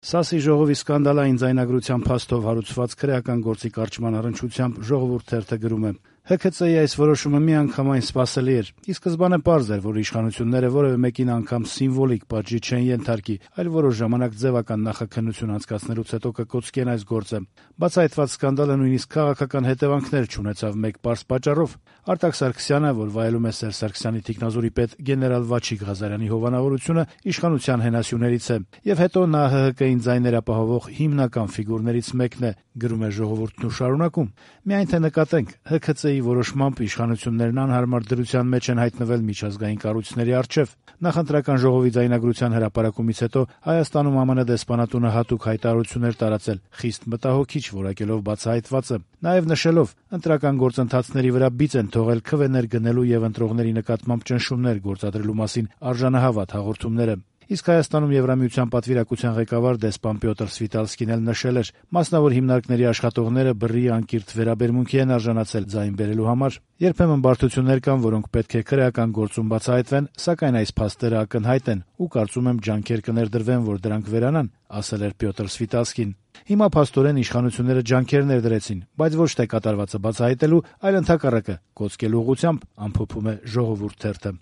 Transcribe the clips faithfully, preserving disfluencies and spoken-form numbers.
Սասի ժողովի սկանդալային ձայնագրության փաստով հարուցված քրեական գործի կարճման առնչությամբ «Ժողովուրդ» թերթը գրում է. «Հ K C-ի այս որոշումը միանգամայն սպասելի էր։ Ի սկզբանե պարզ էր, որ իշխանությունները որևէ մեկին անգամ սիմվոլիկ պատժի չեն ենթարկի, այլ որոշ ժամանակ ձևական նախաքննություն անցկացնելուց հետո կկոծկեն այս գործը։ Բացահայտված սկանդալը նույնիսկ քաղաքական հետևանքներ չունեցավ մեկ պարզ պատճառով։ Արտակ Սարգսյանը, որ վայելում է Սերժ Սարգսյանի թիկնազորի պետ գեներալ Վաչիկ Ղազարյանի հովանավորությունը, իշխանության հենասյուներից է, եւ հետո նա Հ H K-ին ձայներ ապահովող հիմնական ֆիգուրներից մեկն է», գրում է «Ժողովուրդն» ու շարունակում. «Միայն թե նկատենք, Հ K C-ի որոշմամբ իշխանություններն անհարմար դրության մեջ են հայտնվել միջազգային կառույցների առջև։ Նախընտրական ժողովի ձայնագրության հրապարակումից հետո Հայաստանում Ամն դեսպանատունը հատուկ հայտարարություն էր տարածել, խիստ մտահոգիչ որակելով բացահայտվածը, նաեւ նշելով՝ ընտրական գործընթացների վրա բիծ են թողել քվեներ գնելու եւ ընտրողների նկատմամբ ճնշումներ գործադրելու մասին արժանահավատ հաղորդումները։ Իսկ Հայաստանում Եվրամիության պատվիրակության ղեկավար դեսպան Պյոտր Սվիտալսկին էլ նշել էր՝ մասնավոր հիմնարկների աշխատողները բռի անկիրթ վերաբերմունքի են արժանացել ձայն բերելու համար։ Երբեմն բարդություններ կան, որոնք պետք է քրեական գործում բացահայտվեն, սակայն այս փաստերը ակնհայտ են ու կարծում եմ ջանքեր կներդրվեն, որ դրանք վերանան», ասել էր Պյոտր Սվիտալսկին։ Հիմա փաստորեն իշխանությունները ջանքեր ներդրեցին, բայց ոչ թե կատարվածը բացահայտելու, այլ ընդհակառակը կոծկելու ուղղությամբ, ամփոփում է «Ժողովուրդ» թերթը։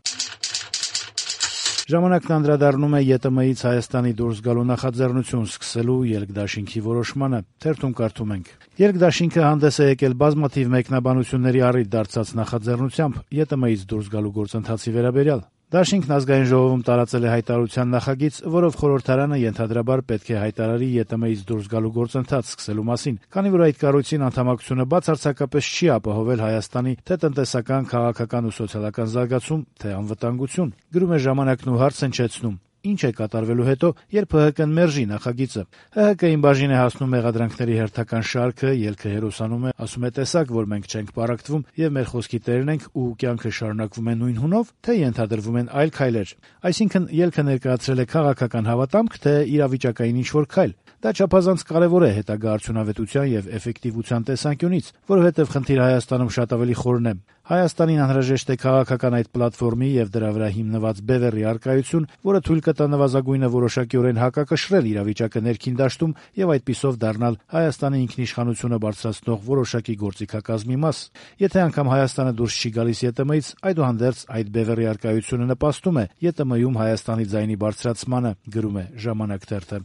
Ժամանակն անդրադառնում է Ե T M-ից Հայաստանի դուրս գալու նախաձեռնություն սկսելու Ելք-դաշինքի որոշմանը։ Թերթում կարդում ենք. «Ելք-դաշինքը հանդես է եկել բազմաթիվ մեկնաբանությունների առիթ դարձած նախաձեռնությամբ Ե T M-ից դուրս գալու գործընթացի վերաբերյալ։ Դաշինքն Ազգային ժողովում տարածել է հայտարարության նախագիծ, որով խորհրդարանը ենթադրաբար պետք է հայտարարի Ե T M-ից դուրս գալու գործընթաց սկսելու մասին, քանի որ այդ կառույցին անդամակցությունը բացարձակապես չի ապահովել Հայաստանի թե տնտեսական, քաղաքական ու սոցիալական զարգացում, թե անվտանգություն», գրում է «Ժամանակն» ու հարց հնչեցնում. «Ինչ է կատարվելու հետո, երբ Հ H K-ն մերժի նախագիծը։ Հ H K-ին բաժին է հասնում մեղադրանքների հերթական շարքը, ելքը հերոսանում է, ասում է տեսակ, որ մենք չենք պառակտվում եւ մեր խոսքի տերն ենք ու կյանքը շարունակվում է նույն հունով, թե ենթադրվում են այլ քայլեր։ Այսինքն ելքը ներկայացրել է քաղաքական հավատամք, թե իրավիճակային ինչ-որ քայլ։ Դա չափազանց կարեւոր է հետագա արդյունավետության եւ էֆեկտիվության տեսանկյունից, որովհետեւ խնդիրը Հայաստանում շատ ավելի խորն է։ Հայաստանին անհրաժեշտ է քաղաքական այդ պլատֆորմի եւ դրա վրա հիմնված բևեռի առկայություն, որը թույլ կտա նվազագույնը որոշակիորեն հակակշռել իրավիճակը ներքին դաշտում եւ այդպիսով դառնալ Հայաստանի ինքնիշխանությունը բարձրացնող որոշակի գործիքակազմի մաս։ Եթե անգամ Հայաստանը դուրս չի գալիս Ե T M-ից, այդուհանդերձ այդ բևեռի առկայությունը նպաստում է Ե T M-ում Հայաստանի ձայնի բարձրացմանը», գրում է «Ժամանակ» թերթը։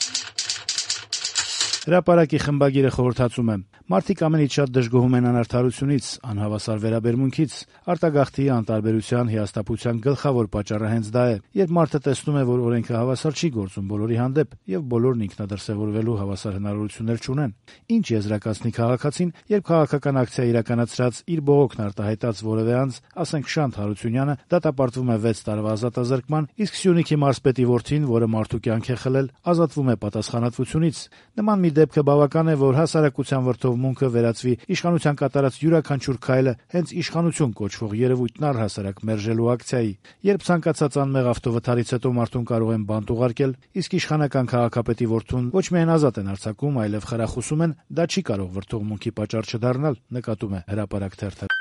Հրապարակի խմբագիրը խորհրդածում է. «Մարդիկ ամենից շատ դժգոհում են անարդարությունից, անհավասար վերաբերմունքից։ Արտագաղթի, անտարբերության, հիասթափության գլխավոր պատճառը հենց դա է։ Երբ մարդը տեսնում է, որ օրենքը հավասար չի գործում բոլորի հանդեպ, եւ բոլորն ինքնադրսեւորվելու հավասար հնարավորություններ չունեն։ Ինչ եզրակացնի քաղաքացին, երբ քաղաքական ակցիա իրականացրած իր բողոքն արտահայտած որևէ անձ, ասենք Շանթ Հարությունյանը, դատապարտվում է վեց տարվա ազատազրկման, իսկ Սյունիքի մարզպետի որդին, որը մարդու կյանք է խլել, ազատվում է պատասխանատվությունից։ Նման մի դեպքը բավական է, որ հասարակության վրդովմունքը վերածվի իշխանության կատարած յուրաքանչյուր քայլը հենց իշխանություն կոչվող երևույթն առհասարակ մերժելու ակցիայի։ Երբ ցանկացած անմեղ ավտովթարից հետո մարդուն կարող են բանտ ուղարկել, իսկ իշխանական քաղաքապետի որդուն ոչ միայն ազատ են արձակում, այլև խրախուսում են, դա չի կարող վրդովմունքի պատճառ չդառնալ», նկատում է «Հրապարակ» թերթը։